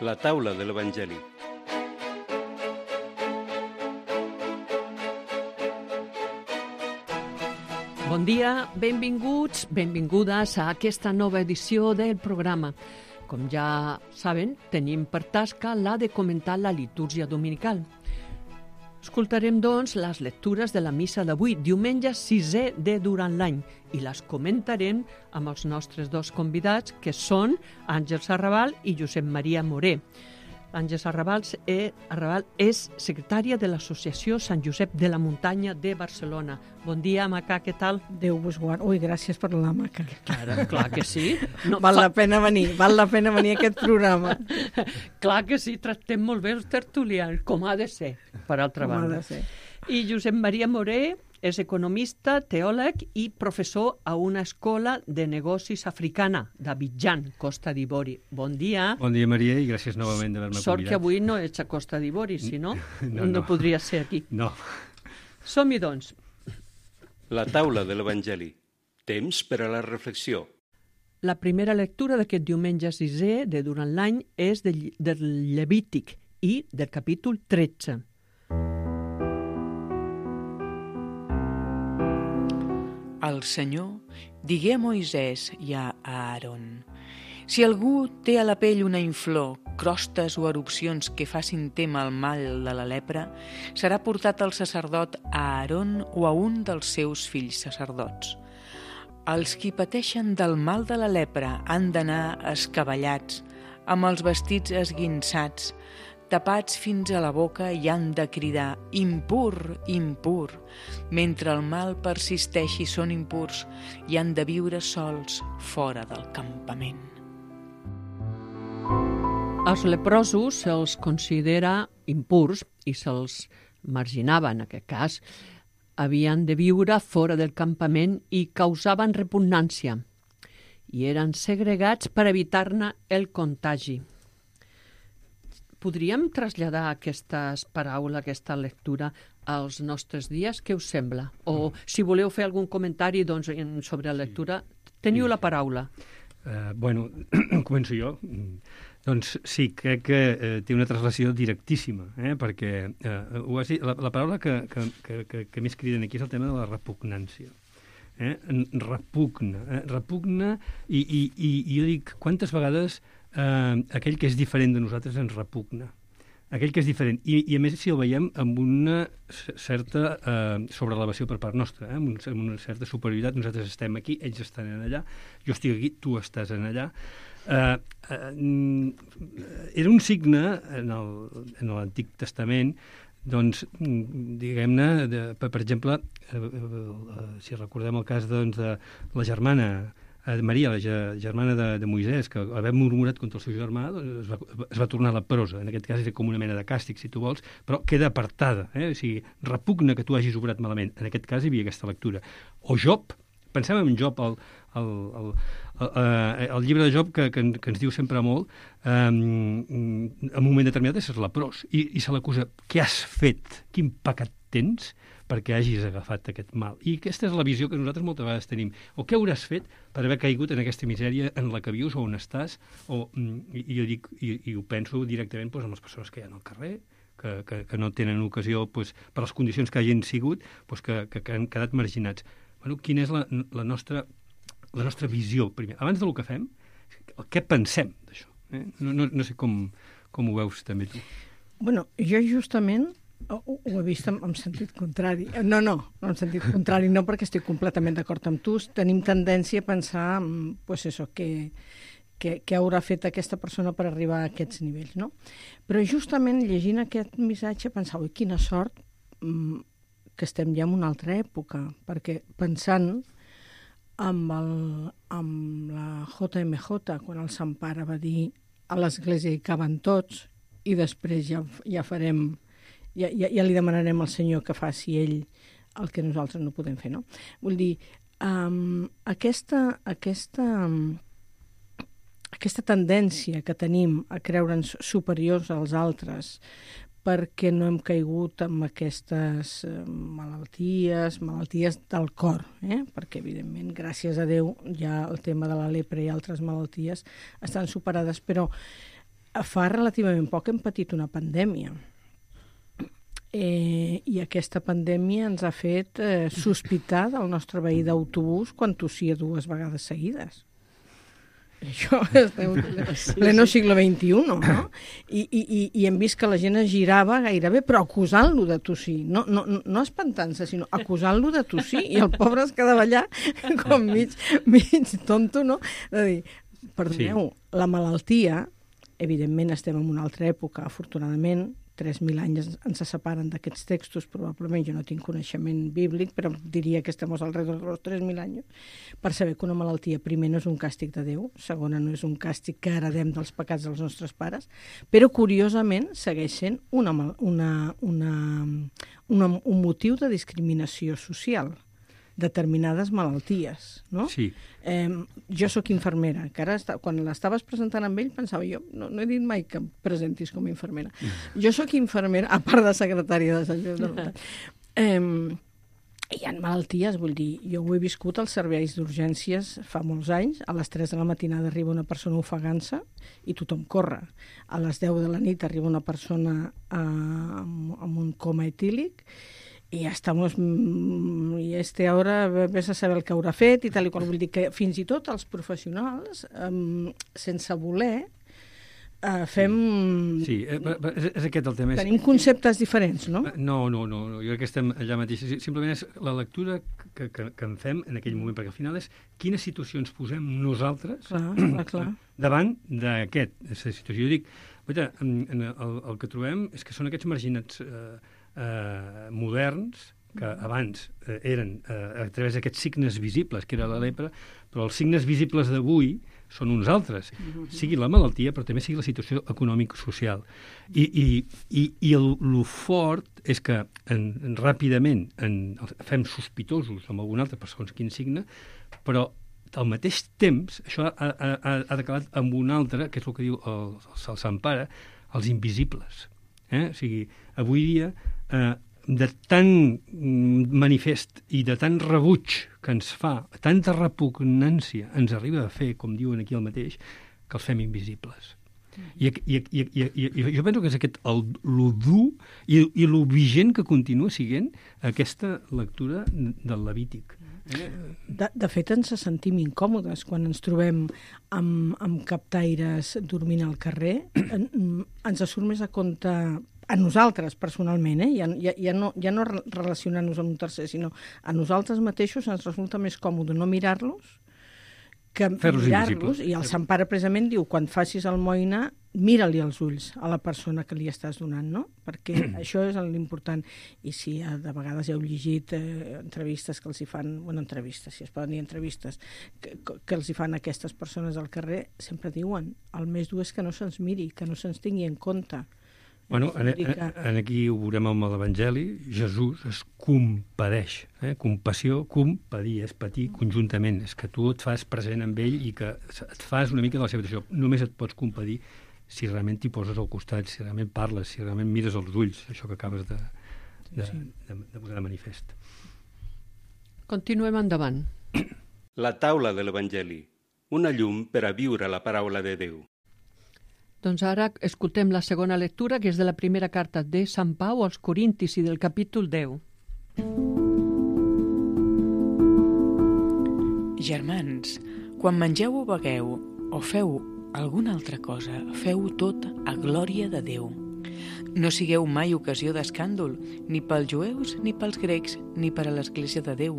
La taula de l'Evangeli. Bon dia, benvinguts, benvingudes a aquesta nova edició del programa. Com ja saben, tenim per tasca la de comentar la litúrgia dominical. Escoltarem, doncs, les lectures de la missa d'avui, diumenge 6è de durant l'any, i les comentarem amb els nostres dos convidats, que són Àngels Arrabal i Josep Maria Moré. Àngels Arrabal és secretària de l'Associació Sant Josep de la Muntanya de Barcelona. Bon dia, Maca, què tal? Déu vos guard. Ui, gràcies per la Maca. Clar que sí. No, val la pena venir a aquest programa. Clar que sí, tractem molt bé els tertulians, com ha de ser, per altra banda. I Josep Maria Moré és economista, teòleg i professor a una escola de negocis africana d'Abidjan, Costa d'Ivori. Bon dia. Bon dia, Maria, i gràcies novament d'haver-me convidat. Sort que avui no ets a Costa d'Ivori, si no, no podria ser aquí. No. Som-hi, doncs. La taula de l'Evangeli. Temps per a la reflexió. La primera lectura d'aquest diumenge 6è de durant l'any és del Levític i del capítol 13. El Senyor digué a Moisès i a Aaron: si algú té a la pell una inflor, crostes o erupcions que facin témer el mal de la lepra, serà portat al sacerdot Aaron o a un dels seus fills sacerdots. Els qui pateixen del mal de la lepra han d'anar escabellats, amb els vestits esguinçats, tapats fins a la boca, i han de cridar impur, impur. Mentre el mal persisteixi són impurs i han de viure sols fora del campament. Els leprosos se'ls considera impurs i se'ls marginava, en aquest cas. Havien de viure fora del campament i causaven repugnància i eren segregats per evitar-ne el contagi. Podríem traslladar aquestes paraules, aquesta lectura als nostres dies? Què us sembla? O si voleu fer algun comentari sobre la lectura, teniu la paraula. Bueno, començo jo. Doncs sí, crec que té una translació directíssima, perquè la paraula que més criden aquí és el tema de la repugnància. Repugna, i jo dic, quantes vegades aquell que és diferent de nosaltres ens repugna. Aquell que és diferent. I a més, si el veiem amb una certa sobreelevació per part nostra, amb una certa superioritat. Nosaltres estem aquí, ells estan allà, jo estic aquí, tu estàs allà. Era un signe en l'Antic Testament, doncs, diguem-ne, per exemple, si recordem el cas de la germana Maria, la germana de Moisès, que haver murmurat contra el seu germà, es va tornar leprosa. En aquest cas era com una mena de càstig, si tu vols, però queda apartada. O sigui, repugna que tu hagis obrat malament. En aquest cas hi havia aquesta lectura. O Job, pensem en Job, el llibre de Job que ens diu sempre molt, en un moment determinat és leprós, i se l'acusa: què has fet? Quin pecat tens perquè hagis agafat aquest mal? I aquesta és la visió que nosaltres moltes vegades tenim. O què hauràs fet per haver caigut en aquesta misèria en la que vius o on estàs? I jo dic, i ho penso directament amb les persones que hi ha al carrer, que no tenen ocasió, per les condicions que hagin sigut, que han quedat marginats. Bueno, quina és la nostra visió, primer? Abans del que fem, què pensem d'això? No sé com ho veus també tu. Bueno, jo justament ho he vist en sentit contrari. No en sentit contrari, no, perquè estic completament d'acord amb tu. Tenim tendència a pensar, què haurà fet aquesta persona per arribar a aquests nivells, no? Però justament llegint aquest missatge pensava, quina sort que estem ja en una altra època, perquè pensant amb la JMJ, quan el Sant Pare va dir a l'Església hi caben tots, i després ja farem, ja li demanarem al Senyor que faci ell el que nosaltres no podem fer, no? Vull dir, aquesta tendència que tenim a creure'ns superiors als altres perquè no hem caigut en aquestes malalties del cor, perquè, evidentment, gràcies a Déu, ja el tema de la lepra i altres malalties estan superades, però fa relativament poc hem patit una pandèmia. I aquesta pandèmia ens ha fet sospitar del nostre veí d'autobús quan tossia 2 vegades seguides. Això és pleno segle XXI, no? I hem vist que la gent es girava gairebé, però acusant-lo de tossir. No espantant-se, sinó acusant-lo de tossir. I el pobre es quedava allà com mig tonto, no? De dir, perdoneu, la malaltia, evidentment estem en una altra època, afortunadament, 3.000 anys ens separen d'aquests textos, probablement jo no tinc coneixement bíblic, però diria que estem alrededor dels 3.000 anys, per saber que una malaltia, primer, no és un càstig de Déu, segona, no és un càstig que heredem dels pecats dels nostres pares, però, curiosament, segueix sent un motiu de discriminació social, determinades malalties, no? Sí. Jo sóc infermera, que ara, quan l'estaves presentant amb ell, pensava jo, no he dit mai que em presentis com a infermera. Jo sóc infermera, a part de secretària de Sant Lluís de Nota. Hi ha malalties, vull dir, jo ho he viscut als serveis d'urgències fa molts anys, a les 3 de la matinada arriba una persona ofegant-se i tothom corre. A les 10 de la nit arriba una persona amb un coma etílic i ahora ves a saber el que haurà fet i tal i qual. Vull dir que fins i tot els professionals, sense voler, fem... Sí, és aquest el tema. Tenim conceptes diferents, no? No, jo crec que estem allà mateix. Simplement és la lectura que en fem en aquell moment, perquè al final és quines situacions posem nosaltres clar. davant d'aquesta situació. Jo dic, el que trobem és que són aquests marginats moderns, que abans eren a través d'aquests signes visibles, que era la lepra, però els signes visibles d'avui són uns altres, sigui la malaltia, però també sigui la situació econòmica-social. I el fort és que ràpidament fem sospitosos amb algun altre per segons quin signe, però al mateix temps això ha decalat amb un altre, que és el que diu el Sant Pare, els invisibles. O sigui, avui dia de tan manifest i de tant rebuig que ens fa, tanta repugnància ens arriba a fer, com diuen aquí el mateix, que els fem invisibles. I jo penso que és aquest lo dur i lo vigent que continua sent aquesta lectura del Levític. De fet, ens sentim incòmodes quan ens trobem amb captaires dormint al carrer. Ens surt més a compte a nosaltres, personalment, ja no relacionant-nos amb un tercer, sinó a nosaltres mateixos ens resulta més còmode no mirar-los que mirar-los. I el Sant Pare precisament diu, quan facis almoina, mira-li els ulls a la persona que li estàs donant, no? Perquè això és l'important. I si de vegades heu llegit entrevistes que els hi fan, entrevistes, si es poden dir entrevistes, que els hi fan a aquestes persones al carrer, sempre diuen, el més dur és que no se'ns miri, que no se'ns tingui en compte. Bueno, aquí ho veurem amb l'Evangeli, Jesús es compadeix. Compassió, compadir, és patir conjuntament. És que tu et fas present amb ell i que et fas una mica de la seva situació. Només et pots compadir si realment t'hi poses al costat, si realment parles, si realment mires els ulls, això que acabes de posar de manifest. Continuem endavant. La taula de l'Evangeli, una llum per a viure la paraula de Déu. Doncs ara escoltem la segona lectura, que és de la primera carta de Sant Pau als Corintis i del capítol 10. Germans, quan mengeu o begueu o feu alguna altra cosa, feu tot a glòria de Déu. No sigueu mai ocasió d'escàndol, ni pels jueus, ni pels grecs, ni per a l'Església de Déu,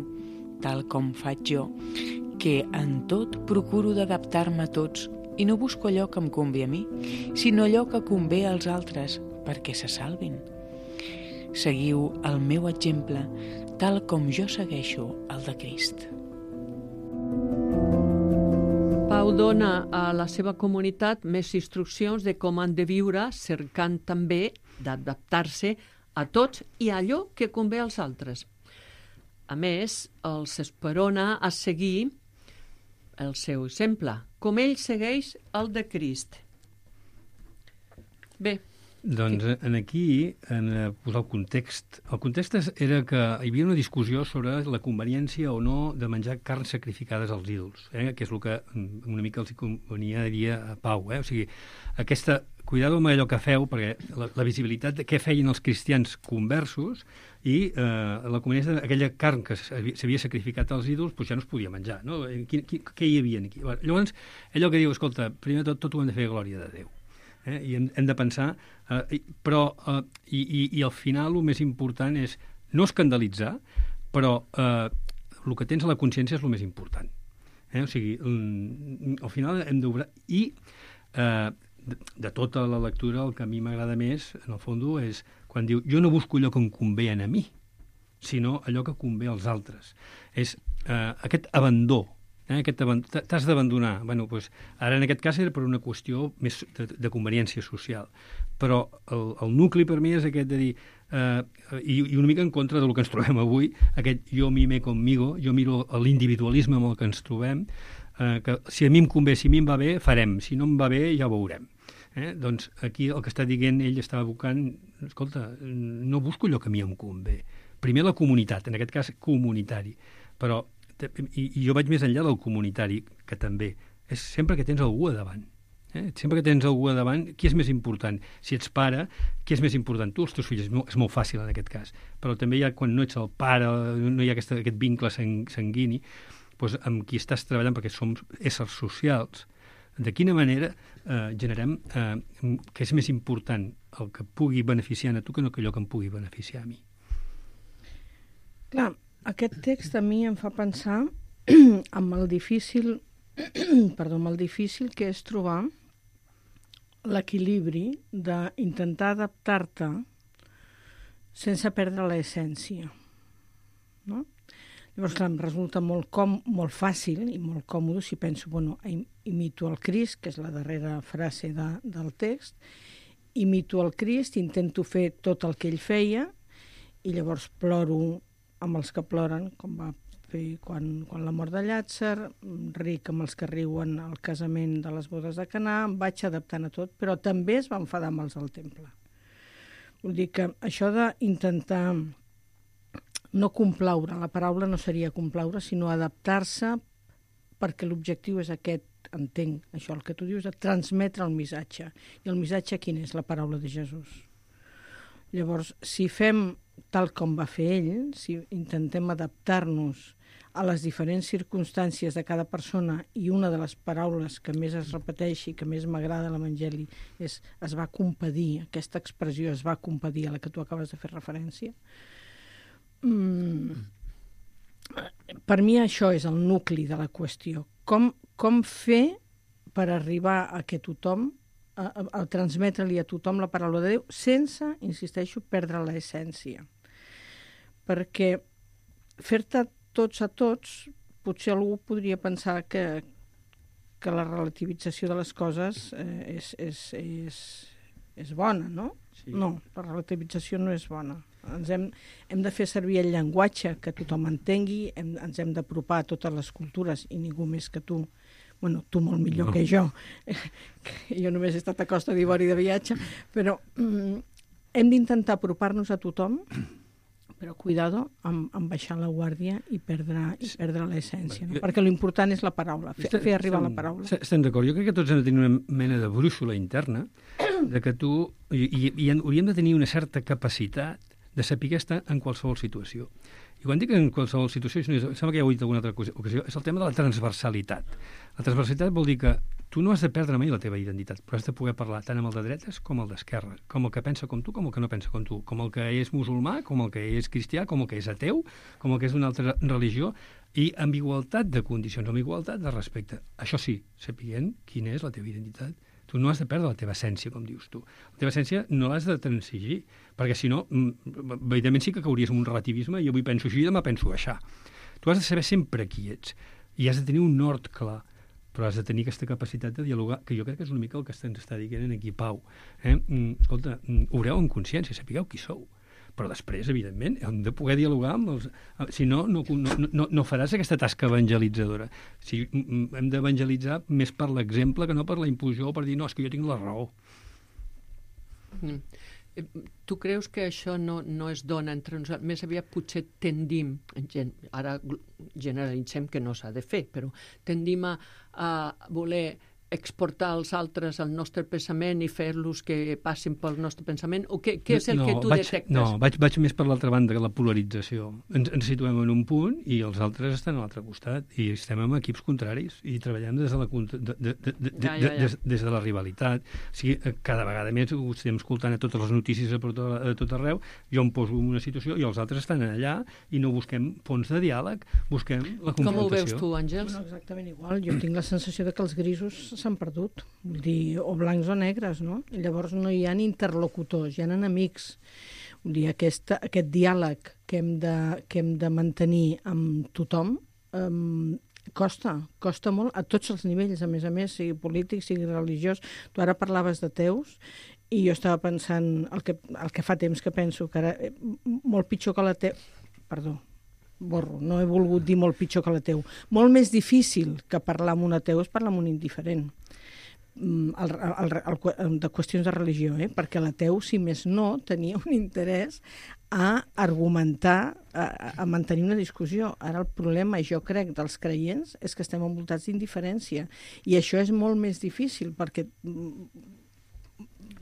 tal com faig jo, que en tot procuro d'adaptar-me a tots, i no busco allò que em convé a mi, sinó allò que convé als altres, perquè se salvin. Seguiu el meu exemple, tal com jo segueixo el de Crist. Pau dona a la seva comunitat més instruccions de com han de viure, cercant també d'adaptar-se a tots i a allò que convé als altres. A més, els esperona a seguir el seu exemple, com ell segueix el de Crist. Bé. Doncs aquí, en posar el context. El context era que hi havia una discussió sobre la conveniència o no de menjar carns sacrificades als ídols, que és el que una mica els convenia a Pau. O sigui, aquesta cuidado amb allò que feu, perquè la visibilitat de què feien els cristians conversos i la comunitat, aquella carn que s'havia sacrificat als ídols, doncs ja no es podia menjar, no? Què hi havia aquí? Llavors, allò que diu, escolta, primer tot ho hem de fer a glòria de Déu. I hem de pensar, però i al final el més important és no escandalitzar, però el que tens a la consciència és el més important. O sigui, al final hem d'obrar... I de tota la lectura el que a mi m'agrada més, en el fons, és quan diu jo no busco allò que em convé a mi, sinó allò que convé als altres. És aquest abandó. T'has d'abandonar. Bueno, doncs, ara en aquest cas era per una qüestió més de conveniència social. Però el nucli per mi és aquest de dir, i una mica en contra del que ens trobem avui, aquest jo mime conmigo, jo miro l'individualisme amb el que ens trobem, que si a mi em convé, si a mi em va bé, farem, si no em va bé ja ho veurem. Doncs aquí el que està dient ell està evocant, escolta, no busco allò que a mi em convé. Primer la comunitat, en aquest cas comunitari, però i jo vaig més enllà del comunitari, que també és sempre que tens algú a davant. Sempre que tens algú a davant, qui és més important? Si ets pare, qui és més important? Tu, els teus fills, és molt fàcil en aquest cas, però també hi ha, quan no ets el pare, no hi ha aquest vincle sanguini, doncs amb qui estàs treballant, perquè som éssers socials, de quina manera generem que és més important el que pugui beneficiar a tu que no allò que em pugui beneficiar a mi. Clar, aquest text a mi em fa pensar amb el difícil que és trobar l'equilibri d'intentar adaptar-te sense perdre l'essència, no? Llavors, clar, em resulta molt fàcil i molt còmode si penso, bueno, imito el Crist, que és la darrera frase del text, imito el Crist, intento fer tot el que ell feia i llavors ploro amb els que ploren, com va fer quan la mort de Llàtzer, ric amb els que riuen al casament de les bodes de Canà, em vaig adaptant a tot, però també es va enfadar amb els del temple. Vull dir que això d'intentar no complaure, la paraula no seria complaure, sinó adaptar-se perquè l'objectiu és aquest, entenc això, el que tu dius, de transmetre el missatge. I el missatge quin és? La paraula de Jesús. Llavors, si fem tal com va fer ell, si intentem adaptar-nos a les diferents circumstàncies de cada persona, i una de les paraules que més es repeteix i que més m'agrada a l'Evangeli és es va compadir, aquesta expressió es va compadir a la que tu acabes de fer referència. Per mi això és el nucli de la qüestió. Com fer per arribar a que tothom, a transmetre-li a tothom la paraula de Déu sense, insisteixo, perdre l'essència. Perquè fer-te tots a tots, potser algú podria pensar que la relativització de les coses és bona, no? Sí. No, la relativització no és bona. Hem de fer servir el llenguatge que tothom entengui, ens hem d'apropar a totes les cultures i ningú més que tu, bueno, tu molt millor que jo, que jo només he estat a Costa d'Ivori de viatge, però hem d'intentar apropar-nos a tothom, però cuidado amb baixar la guàrdia i perdre l'essència, no? Perquè l'important és la paraula, fer arribar la paraula. Estem d'acord. Jo crec que tots hem de tenir una mena de brúixola interna, de que tu... I hauríem de tenir una certa capacitat de saber estar en qualsevol situació. I quan dic en qualsevol situació, sembla que ja ho he dit en alguna altra ocasió, és el tema de la transversalitat. La transversalitat vol dir que tu no has de perdre mai la teva identitat, però has de poder parlar tant amb el de dretes com el d'esquerra, com el que pensa com tu, com el que no pensa com tu, com el que és musulmà, com el que és cristià, com el que és ateu, com el que és d'una altra religió, i amb igualtat de condicions, amb igualtat de respecte. Això sí, sapiguent quina és la teva identitat. Tu no has de perdre la teva essència, com dius tu. La teva essència no l'has de transigir, perquè si no, evidentment sí que cauries en un relativisme i avui penso així i demà penso això. Tu has de saber sempre qui ets i has de tenir un nord clar, però has de tenir aquesta capacitat de dialogar, que jo crec que és una mica el que ens està dient aquí Pau. Escolta, obreu en consciència, sapigueu qui sou. Però després, evidentment, hem de poder dialogar amb els... Si no, no faràs aquesta tasca evangelitzadora. Si hem d'evangelitzar més per l'exemple que no per la imposició o per dir, no, és que jo tinc la raó. Tu creus que això no es dona entre nosaltres? Més aviat potser tendim, ara generalitzem que no s'ha de fer, però tendim a voler exportar als altres el nostre pensament i fer-los que passin pel nostre pensament? O què és el que tu detectes? No, vaig més per l'altra banda, que la polarització. Ens situem en un punt i els altres estan a l'altre costat i estem en equips contraris i treballem des de la rivalitat. O sigui, cada vegada més ho estem escoltant a totes les notícies a tot arreu. Jo em poso en una situació i els altres estan allà i no busquem ponts de diàleg, busquem la confrontació. Com ho veus tu, Àngels? Bueno, exactament igual. Jo tinc la sensació de que els grisos s'han perdut, vull dir, o blancs o negres, no? I llavors no hi ha interlocutors, hi ha enemics. Vull dir, aquest diàleg que hem de mantenir amb tothom costa molt a tots els nivells, a més, sigui polític, sigui religiós. Tu ara parlaves de teus i jo estava pensant, el que fa temps que penso, que ara molt pitjor que la teu... Perdó, no he volgut dir molt pitjor que la teu. Molt més difícil que parlar amb un ateu és parlar amb un indiferent. De qüestions de religió, perquè l'ateu, si més no, tenia un interès a argumentar, a mantenir una discussió. Ara el problema, jo crec, dels creients és que estem envoltats d'indiferència i això és molt més difícil perquè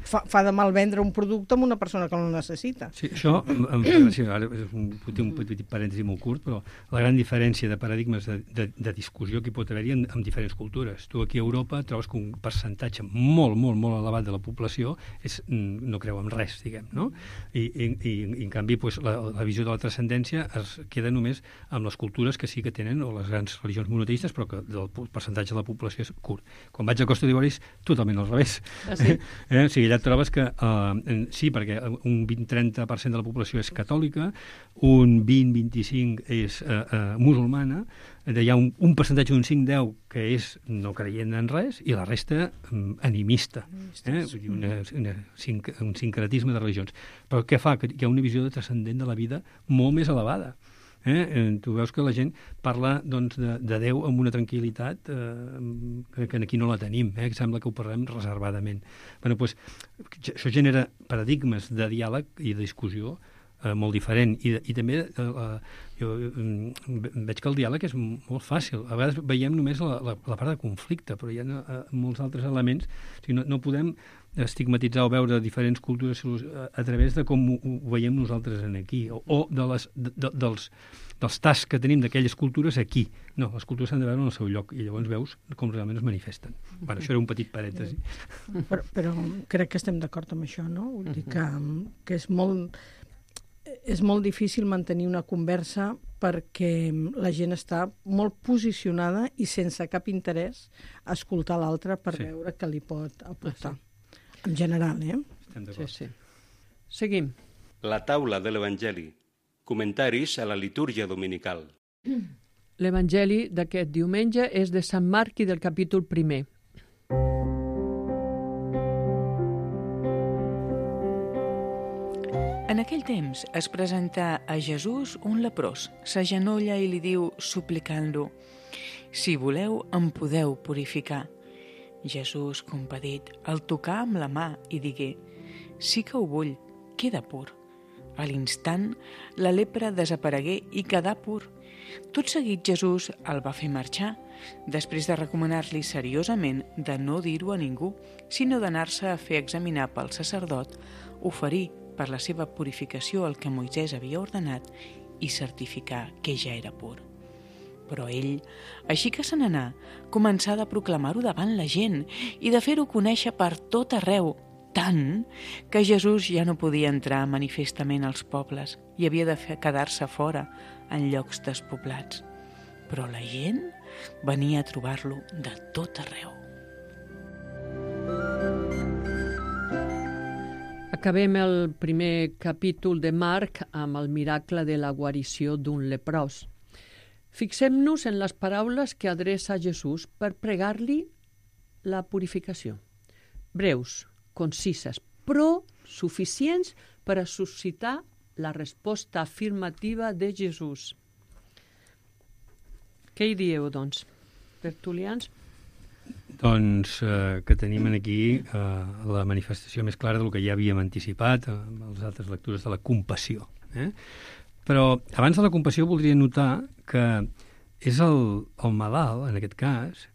fa de mal vendre un producte amb una persona que no el necessita. Sí, això, ara és un petit parèntesi molt curt, però la gran diferència de paradigmes de discussió que hi pot haver-hi en diferents cultures. Tu aquí a Europa trobes que un percentatge molt, molt, molt elevat de la població no creu en res, diguem, no? I en canvi, la visió de la transcendència es queda només amb les cultures que sí que tenen, o les grans religions monoteistes, però que el percentatge de la població és curt. Quan vaig a Costa d'Ivori és totalment al revés. Ah, sí? O sigui, allà trobes que sí, perquè un 20-30% de la població és catòlica, un 20-25% és musulmana, hi ha un percentatge d'un 5-10 que és no creient en res i la resta animista. Vull dir, un sincretisme de religions. Però què fa? Que hi ha una visió de transcendent de la vida molt més elevada. Tu veus que la gent parla de Déu amb una tranquil·litat que aquí no la tenim, que sembla que ho parlem reservadament. Això genera paradigmes de diàleg i de discussió molt diferent i també jo veig que el diàleg és molt fàcil. A vegades veiem només la part de conflicte, però hi ha molts altres elements. O sigui, no podem estigmatitzar o veure diferents cultures a través de com ho veiem nosaltres aquí o dels tasks que tenim d'aquelles cultures aquí. No, les cultures s'han de veure en el seu lloc i llavors veus com realment es manifesten. Això era un petit parèntesi. Però crec que estem d'acord amb això, no? Vull dir que és molt difícil mantenir una conversa perquè la gent està molt posicionada i sense cap interès a escoltar l'altre per veure què li pot aportar. En general, Estem d'acord. Sí. Seguim. La taula de l'Evangeli. Comentaris a la litúrgia dominical. L'Evangeli d'aquest diumenge és de Sant Marc i del capítol 1. En aquell temps es presenta a Jesús un leprós, s'agenolla i li diu, suplicant-lo: «Si voleu, em podeu purificar». Jesús, compadit, el tocà amb la mà i digué: «Sí que ho vull, queda pur». A l'instant, la lepra desaparegué i quedà pur. Tot seguit Jesús el va fer marxar, després de recomanar-li seriosament de no dir-ho a ningú, sinó d'anar-se a fer examinar pel sacerdot, oferir per la seva purificació el que Moisès havia ordenat i certificar que ja era pur. Però ell, així que se n'anà, començà de proclamar-ho davant la gent i de fer-ho conèixer per tot arreu, tant que Jesús ja no podia entrar manifestament als pobles i havia de quedar-se fora en llocs despoblats. Però la gent venia a trobar-lo de tot arreu. Acabem el primer capítol de Marc amb el miracle de la guarició d'un leprós. Fixem-nos en les paraules que adreça Jesús per pregar-li la purificació. Breus, concises, però suficients per a suscitar la resposta afirmativa de Jesús. Què hi dieu, doncs, tertulians? Doncs que tenim aquí la manifestació més clara del que ja havíem anticipat amb les altres lectures de la compassió. Però abans de la compassió voldria notar que és el malalt, en aquest cas,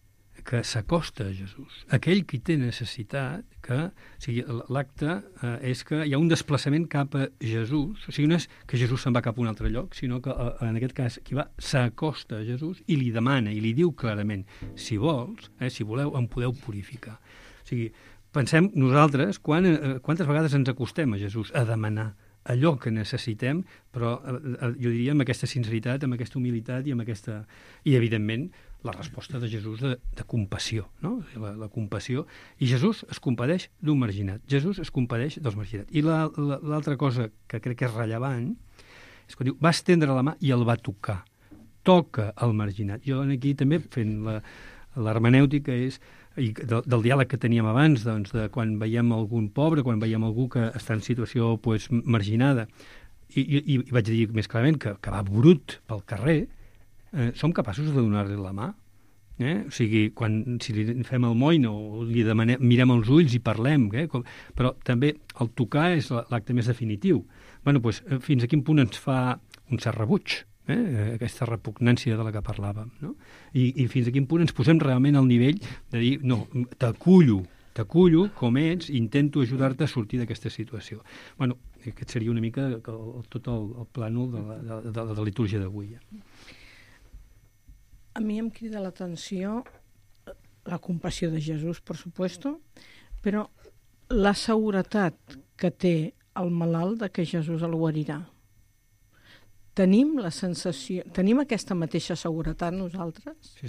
que s'acosta a Jesús. Aquell qui té necessitat, o sigui, l'acte és que hi ha un desplaçament cap a Jesús, o sigui, no és que Jesús se'n va cap a un altre lloc, sinó que en aquest cas qui va s'acosta a Jesús i li demana, i li diu clarament, si vols, si voleu, em podeu purificar. O sigui, pensem nosaltres quantes vegades ens acostem a Jesús a demanar allò que necessitem, però jo diria amb aquesta sinceritat, amb aquesta humilitat i amb aquesta... I, evidentment, la resposta de Jesús de compassió, no? La compassió. I Jesús es compadeix d'un marginat. Jesús es compadeix dels marginats. I l'altra cosa que crec que és rellevant és que diu, va estendre la mà i el va tocar. Toca el marginat. Jo aquí també, fent l'hermenèutica, és del diàleg que teníem abans, doncs, de quan veiem algun pobre, quan veiem algú que està en situació marginada, i vaig dir més clarament que va brut pel carrer, som capaços de donar-li la mà? O sigui, si li fem el moïna o li demanem, mirem els ulls i parlem, però també el tocar és l'acte més definitiu. Doncs, fins a quin punt ens fa un cert rebuig, aquesta repugnància de la que parlàvem, no? I fins a quin punt ens posem realment al nivell de dir, no, t'acullo com ets, intento ajudar-te a sortir d'aquesta situació. Aquest seria una mica tot el plànol de la litúrgia d'avui. A mi em crida l'atenció la compassió de Jesús, per supuesto, però la seguretat que té el malalt de que Jesús el guarirà. Tenim la sensació, tenim aquesta mateixa seguretat nosaltres? Sí,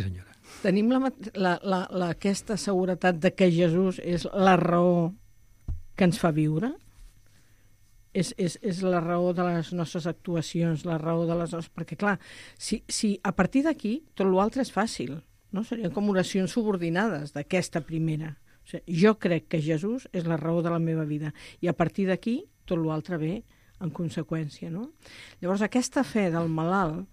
senyora. Tenim aquesta seguretat de que Jesús és la raó que ens fa viure? És la raó de les nostres actuacions, la raó de les nostres... Perquè, clar, si a partir d'aquí tot l'altre és fàcil, no? Serien com oracions subordinades d'aquesta primera. O sigui, jo crec que Jesús és la raó de la meva vida i a partir d'aquí tot l'altre ve en conseqüència, no? Llavors, aquesta fe del malalt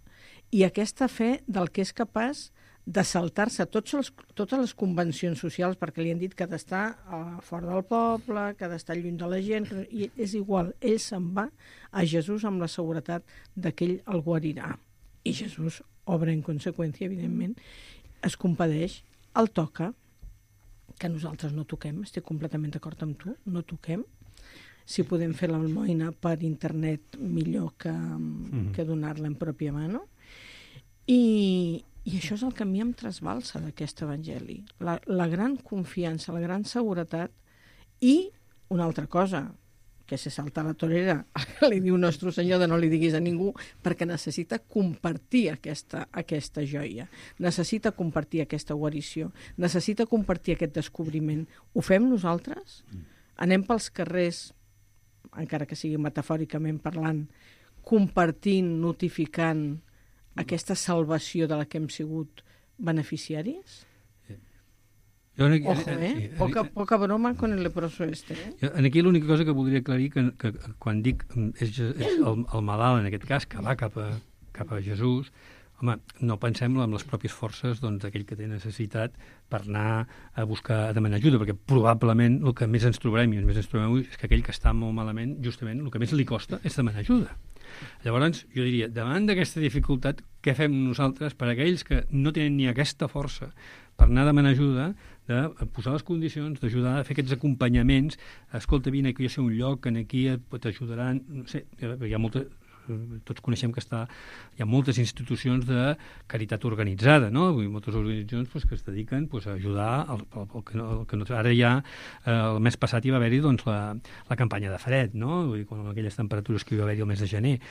i aquesta fe del que és capaç de saltar-se totes les convencions socials, perquè li han dit que ha d'estar fora del poble, que ha d'estar lluny de la gent, i és igual, ell se'n va a Jesús amb la seguretat que ell el guarirà. I Jesús obra en conseqüència, evidentment, es compadeix, el toca, que nosaltres no toquem, estic completament d'acord amb tu, no toquem. Si podem fer l'almoina per internet, millor que donar-la en pròpia mà, no? I això és el que a mi em trasbalsa d'aquest evangeli. La gran confiança, la gran seguretat i una altra cosa, que se salta la torera, que li diu Nostre Senyor de no li diguis a ningú, perquè necessita compartir aquesta joia, necessita compartir aquesta guarició, necessita compartir aquest descobriment. Ho fem nosaltres? Anem pels carrers, encara que sigui metafòricament parlant, compartint, notificant aquesta salvació de la que hem sigut beneficiaris? Ojo, poca broma con el leproso este. Aquí l'única cosa que voldria aclarir que quan dic és el malalt, en aquest cas, que va cap a Jesús, home, no pensem en les pròpies forces d'aquell que té necessitat per anar a demanar ajuda, perquè probablement el que més ens trobarem avui és que aquell que està molt malament, justament, el que més li costa és demanar ajuda. Llavors, jo diria, davant d'aquesta dificultat, què fem nosaltres per aquells que no tenen ni aquesta força per anar a demanar ajuda, de posar les condicions, d'ajudar a fer aquests acompanyaments? Escolta, vine, que jo sé un lloc, aquí t'ajudaran, no sé, hi ha tots coneixem que hi ha moltes institucions de caritat organitzada, no? Moltes organitzacions que es dediquen a ajudar el que no... Ara ja, el mes passat hi va haver-hi la campanya de fred, no? Vull dir, amb aquelles temperatures que hi va haver-hi el mes de gener.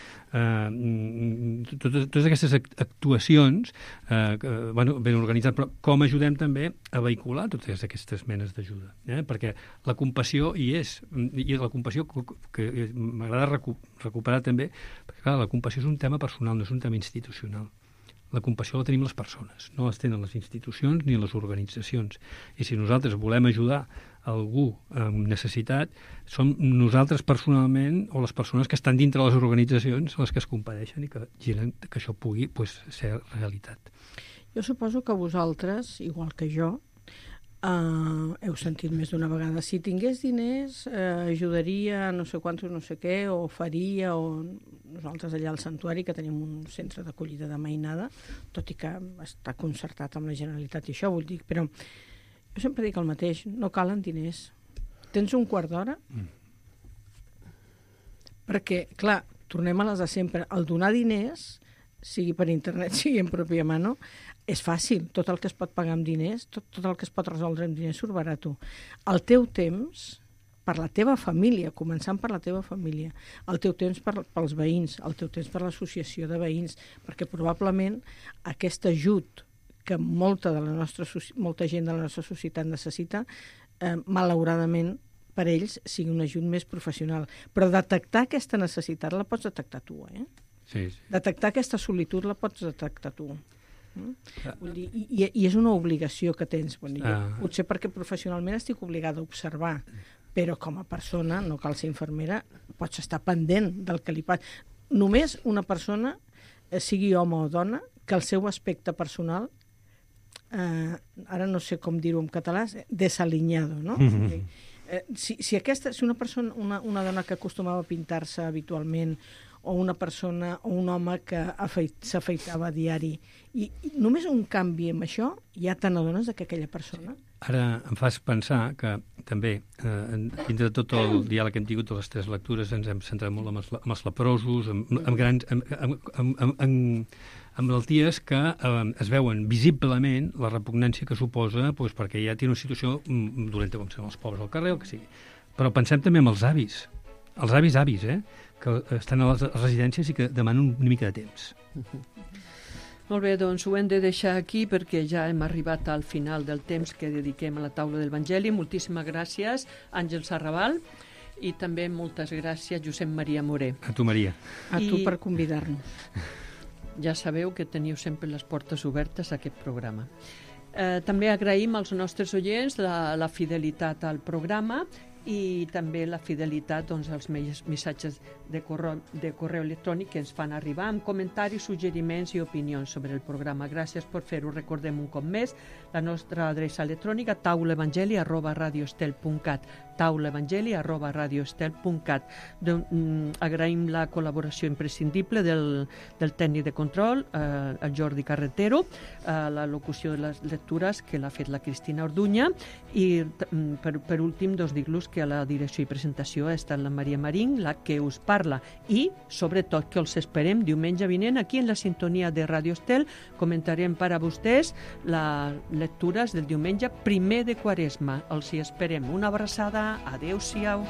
Totes aquestes actuacions ben organitzades, però com ajudem també a vehicular totes aquestes menes d'ajuda? Perquè la compassió hi és, i la compassió que m'agrada recuperar també, perquè clar, la compassió és un tema personal, no és un tema institucional. La compassió la tenim les persones, no les tenen les institucions ni les organitzacions. I si nosaltres volem ajudar algú amb necessitat, som nosaltres personalment o les persones que estan dintre les organitzacions les que es compadeixen i que giren que això pugui ser realitat. Jo suposo que vosaltres, igual que jo, heu sentit més d'una vegada, si tingués diners ajudaria no sé quantos no sé què, o faria, o nosaltres allà al Santuari, que tenim un centre d'acollida de mainada, tot i que està concertat amb la Generalitat i això, vull dir, però jo sempre dic el mateix, no calen diners. Tens un quart d'hora? Perquè, clar, tornem a les de sempre. El donar diners, sigui per internet, sigui en pròpia mano, és fàcil. Tot el que es pot pagar amb diners, tot el que es pot resoldre amb diners surt barat. El teu temps, per la teva família, començant per la teva família, el teu temps pels veïns, el teu temps per l'associació de veïns, perquè probablement aquest ajut que molta gent de la nostra societat necessita, malauradament per ells sigui un ajut més professional. Però detectar aquesta necessitat la pots detectar tu, Sí. Detectar aquesta solitud la pots detectar tu. Vull dir, i és una obligació que tens. Potser perquè professionalment estic obligada a observar, però com a persona, no cal ser infermera, pots estar pendent del que li passa. Només una persona, sigui home o dona, que el seu aspecte personal, ara no sé com dir-ho en català, desalinyado, no? Si una persona, una dona que acostumava a pintar-se habitualment, o una persona o un home que s'afeitava a diari, i només un canvi amb això ja te n'adones que aquella persona... Ara em fas pensar que també, dintre de tot el diàleg que hem tingut de les 3 lectures, ens hem centrat molt amb els leprosos, amb malalties que es veuen visiblement la repugnància que suposa, perquè ja té una situació dolenta, com són els pobres al carrer, el que sigui. Però pensem també en els avis, que estan a les residències i que demanen una mica de temps. Molt bé, doncs ho hem de deixar aquí perquè ja hem arribat al final del temps que dediquem a la taula del Evangeli. Moltíssimes gràcies, Àngel Sarrabal, i també moltes gràcies, Josep Maria Moré. A tu, Maria. A tu per convidar-nos. Ja sabeu que teniu sempre les portes obertes a aquest programa. També agraïm als nostres oients la fidelitat al programa i també la fidelitat als missatges de correu electrònic que ens fan arribar amb comentaris, suggeriments i opinions sobre el programa. Gràcies per fer-ho. Recordem un cop més la nostra adreça electrònica taulaevangeli@radioestel.cat taulaevangeli@radioestel.cat. Agraïm la col·laboració imprescindible del tècnic de control, el Jordi Carretero, la locució de les lectures que l'ha fet la Cristina Orduña, i per últim dir-los que a la direcció i presentació ha estat la Maria Marín, la que us parla, i sobretot que els esperem diumenge vinent aquí en la sintonia de Radio Estel. Comentarem per a vostès les lectures del diumenge 1 de Quaresma. Els hi esperem. Una abraçada. Adéu-siau.